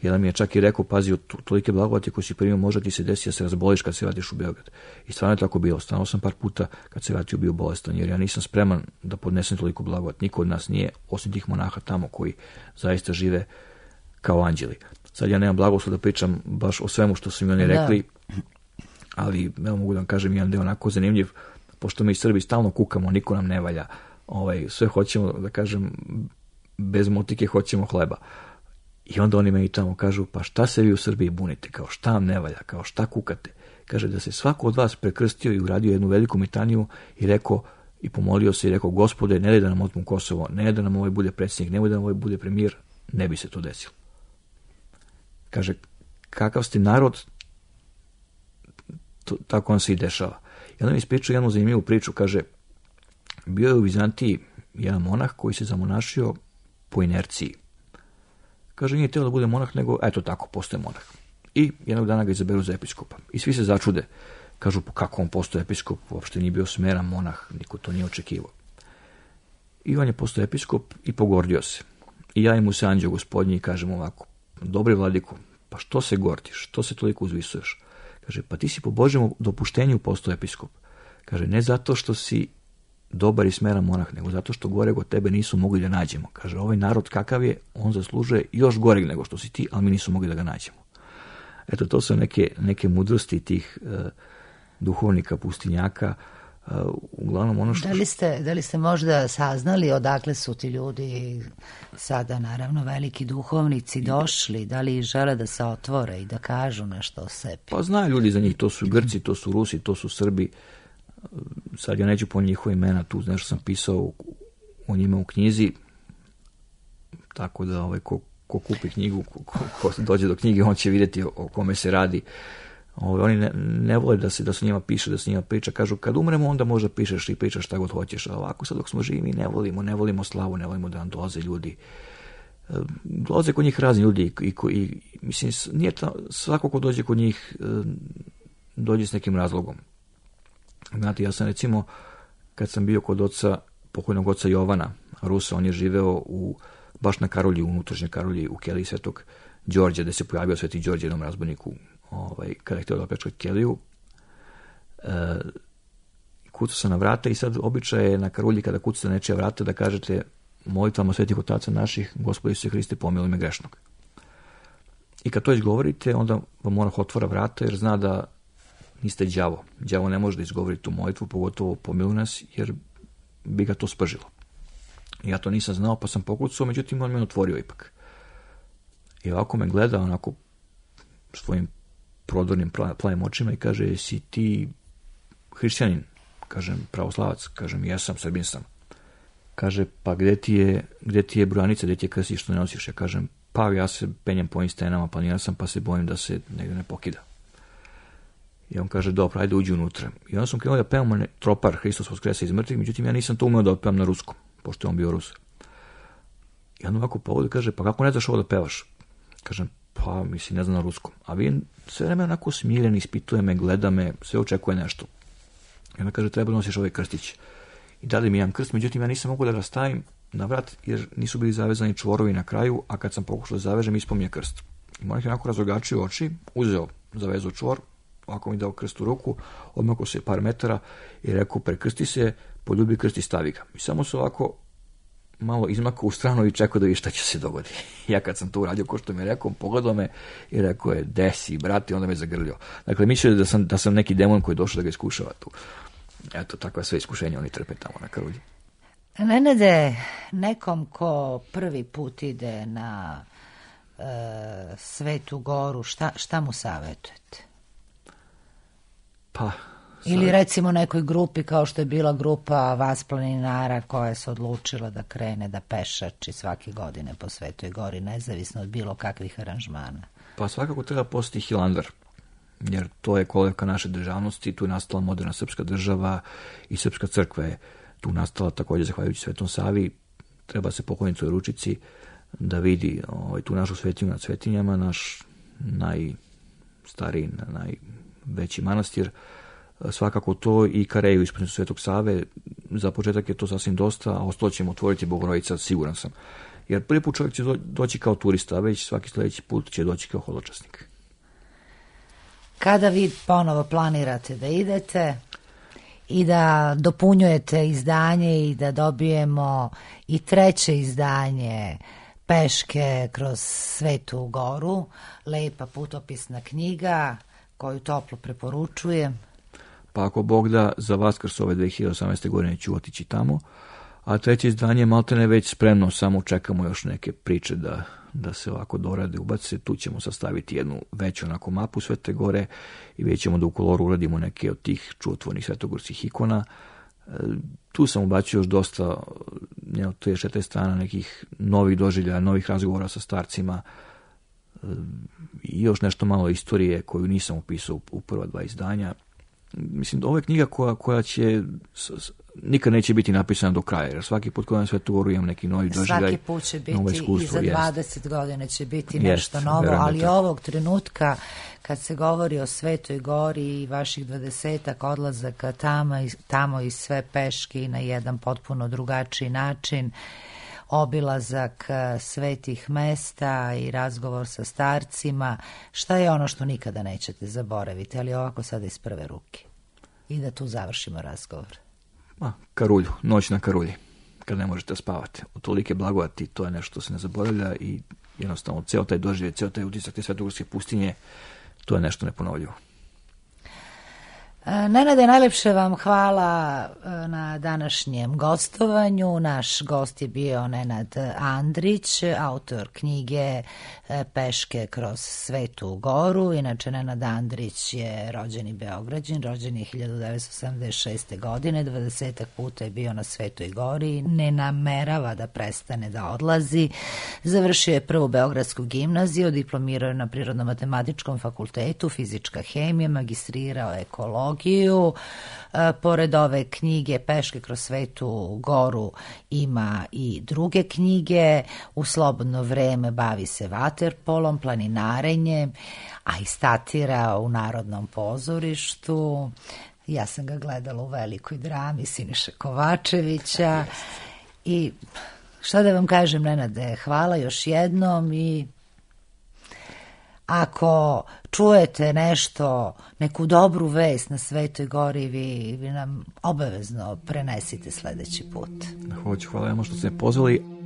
Jedan mi je čak i rekao, pazi, od tolike blagodati koji si primio, možda ti se desi da se razboliš kad se vratiš u Beograd. I stvarno je tako bilo. Stvarno sam par puta kad se vratio bio bolestan, jer ja nisam spreman da podnesem toliko blagodat. Niko od nas nije, osim tih monaha tamo koji zaista žive kao anđeli. Sad ja nemam blagoslov da pričam baš o svemu što su mi oni rekli, ali evo mogu da vam kažem jedan deo onako zanimljiv, pošto mi Srbi stalno kukamo, niko nam ne valja, sve hoćemo, da kažem, bez motike hoćemo hleba. I onda oni meni tamo kažu, pa šta se vi u Srbiji bunite, kao šta vam ne valja, kao šta kukate. Kaže da se svako od vas prekrstio i uradio jednu veliku mitaniju i rekao, i pomolio se i rekao, Gospode, ne daj da nam otmu Kosovo, ne daj da nam ovaj bude predsjednik, ne daj da nam ovaj bude premijer, ne bi se to desilo. Kaže, kakav ste narod, tako on se i dešava. I onda mi ispričao jednu zanimljivu priču, kaže, bio je u Vizantiji jedan monah koji se zamonašio po inerciji. Kaže, nije teo da bude monah, nego eto tako, postoje monah. I jednog dana ga izaberu za episkopa. I svi se začude. Kažu, pa kako on postoje episkop? Uopšte nije bio smeran monah, niko to nije očekivao. I on je postao episkop i pogordio se. I ja mu se anđeo gospodnji i kažem ovako, dobri vladiko, pa što se gordiš, što se toliko uzvisuješ? Kaže, pa ti si po Božjem dopuštenju postao episkop. Kaže, ne zato što si dobar i smeran monah, nego zato što goreg od tebe nisu mogli da nađemo. Kaže, ovaj narod kakav je, on zaslužuje još goreg nego što si ti, ali mi nisu mogli da ga nađemo. Eto, to su neke mudrosti tih duhovnika, pustinjaka. Uglavnom ono što... Da li ste možda saznali odakle su ti ljudi sada, naravno, veliki duhovnici došli? Da li žele da se otvore i da kažu nešto o sebi? Pa znaju ljudi za njih, to su Grci, to su Rusi, to su Srbi. Sad ja neću po njihova imena, tu nešto sam pisao o njima u knjizi, tako da ko kupi knjigu, ko dođe do knjige, on će vidjeti o kome se radi. Oni ne vole da se njima piše, da se njima priča. Kažu, kad umremo, onda možda pišeš i pričaš šta god hoćeš. A ovako sad dok smo živi, ne volimo slavu, ne volimo da nam dolaze ljudi. Dolaze kod njih razni ljudi i mislim, nije svako ko dođe kod njih dođe s nekim razlogom. Znate, ja sam recimo, kad sam bio kod pokojnog oca Jovana Rusa, on je živeo baš na Karolji, u unutrašnjoj Karolji, u keliji Svetog Đorđa, gde se pojavio Sveti Đorđe jednom razbojniku, kada je htio da opljačka keliju. Kucao sam na vrata i sad običaj je na Karolji kada kucate na nečija vrata da kažete molitvama svetih otaca naših, Gospodi Isuse Hriste, pomiluj me grešnog. I kad to izgovorite, onda vam monah otvara vrata jer zna da niste đavo. Đavo ne može da izgovori tu molitvu, pogotovo pomiluj nas, jer bi ga to spržilo. Ja to nisam znao, pa sam pokucao, međutim on me otvorio ipak. I ovako me gleda, onako svojim prodornim plavim očima i kaže, jesi ti hrišćanin? Kažem, pravoslavac. Kažem, jesam, Srbin sam. Kaže, pa gde ti je brojanica, gde ti je krstić što ne nosiš? Ja kažem, pa ja se penjem po ovim stenama, planiran sam, pa se bojim da se negdje ne pokida. I on kaže, dobro, ajde uđi unutra. I onda sam krenuo da pevamo tropar Hristos Voskrese iz mrtvih, međutim ja nisam to umeo da pevam na ruskom, pošto je on bio Rus. I onda ovako pogleda kaže, pa kako ne znaš ovo da pevaš? Kažem, pa mislim, ne znam na ruskom. A vi sve vreme onako smiren, ispituje me, gleda me, sve očekuje nešto. I onda kaže, treba nosiš ovaj krstić. I dali mi jedan krst, međutim ja nisam mogu da ga stavim na vrat, jer nisu bili zavezani čvorovi na kraju, a kad sam pokušao da zavežem, ispao mi je krst. I monak je onako razrogačio oči, uzeo, zavezao čvor, ovako mi dao krst u ruku, odmakao se par metara i rekao, prekrsti se, poljubi krst i stavi ga. I samo se ovako malo izmakao u stranu i čekao da vidi šta će se dogoditi. Ja kad sam to uradio, ko što mi je rekao, pogledao me i rekao je, desi, brate, onda me zagrlio. Dakle, mislio da sam neki demon koji je došao da ga iskušava tu. Eto, takva sve iskušenja oni trpe tamo na Karolji. Nenade, nekom ko prvi put ide na Svetu Goru, šta mu savjetujete? Pa, ili recimo nekoj grupi kao što je bila grupa vas planinara koja se odlučila da krene da pešači svake godine po Svetoj Gori, nezavisno od bilo kakvih aranžmana. Pa svakako treba postati Hilandar, jer to je kolevka naše državnosti, tu je nastala moderna srpska država i srpska crkva je tu nastala također zahvaljujući Svetom Savi. Treba se pokloniti u ručici da vidi tu našu svetinju nad svetinjama, naš najstariji, najveći manastir, svakako to i Kareju ispred Svetog Save. Za početak je to sasvim dosta, a ostalo ćemo otvoriti Bogorodica, siguran sam. Jer prvi put čovjek će doći kao turista, a već svaki sljedeći put će doći kao hodočasnik. Kada vi ponovo planirate da idete i da dopunjujete izdanje i da dobijemo i treće izdanje Peške kroz Svetu Goru, lepa putopisna knjiga koju toplo preporučujem. Pa ako Bog da, za Vaskrs ove 2018. godine ću otići tamo, a treće izdanje maltene već spremno, samo čekamo još neke priče da se ovako dorade, ubace. Tu ćemo sastaviti jednu veću onako mapu Svete Gore i vidjet ćemo da u koloru uradimo neke od tih čudotvornih svetogorskih ikona. Tu sam ubacio još dosta, to je 4 strana nekih novih doživljaja, novih razgovora sa starcima i još nešto malo istorije koju nisam upisao u prva 2 izdanja. Mislim, ovo je knjiga koja će nikad neće biti napisano do kraja, jer svaki put kad na Svetu Goru imam neki novi doživljaj. Svaki put će biti i za 20 godina će biti nešto novo, ali ovog trenutka kad se govori o Svetoj Gori i vaših 20-ak odlazaka tamo i sve peški na jedan potpuno drugačiji način, obilazak svetih mesta i razgovor sa starcima, šta je ono što nikada nećete zaboraviti, ali ovako sada iz prve ruke. I da tu završimo razgovor. Karulju, noć na Karulji, kad ne možete spavati. Od tolike blagodati, to je nešto što se ne zaboravlja i jednostavno ceo taj doživljaj, ceo taj utisak te svetogorske pustinje, to je nešto neponovljivo. Nenade, najlepše vam hvala na današnjem gostovanju. Naš gost je bio Nenad Andrić, autor knjige Peške kroz Svetu Goru. Inače, Nenad Andrić je rođeni Beograđin, rođen je 1976. godine, 20 puta je bio na Svetoj Gori, ne namerava da prestane da odlazi. Završio je prvu Beogradsku gimnaziju, diplomirao je na Prirodno-matematičkom fakultetu, fizička hemija, magistrirao ekologiju. Pored ove knjige Peške kroz Svetu Goru ima i druge knjige. U slobodno vreme bavi se vaterpolom, planinarenjem, a i statira u Narodnom pozorištu. Ja sam ga gledala u velikoj drami Siniše Kovačevića. I šta da vam kažem, Nenade, hvala još jednom i ako čujete nešto, neku dobru vest na Svetoj Gori, vi nam obavezno prenesite sledeći put. Hoću, hvala vam što ste me pozvali.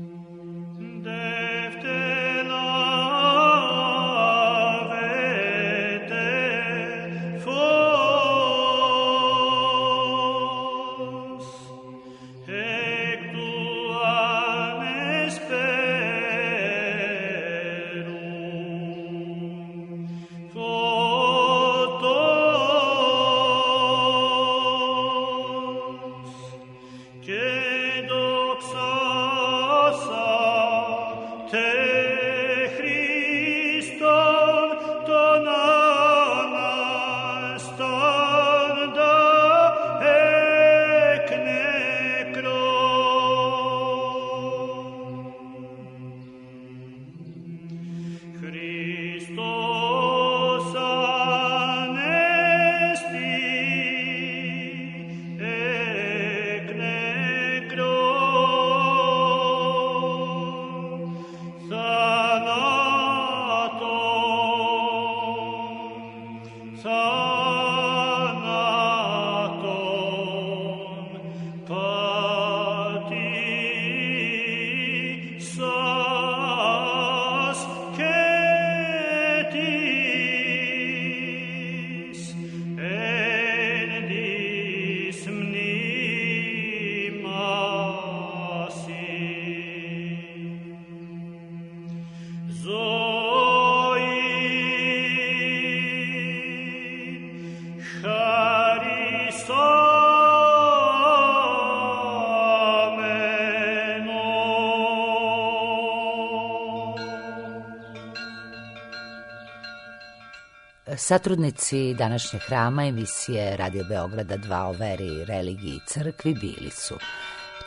Satrudnici današnjeg hrama emisije Radio Beograda 2 o veri, religiji i crkvi bili su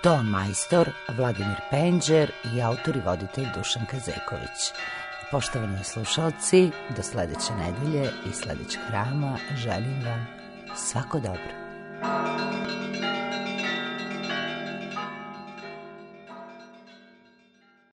ton majstor Vladimir Penđer i autor i voditelj Dušan Kazeković. Poštovani slušalci, do sledeće nedelje i sledećeg hrama želim vam svako dobro.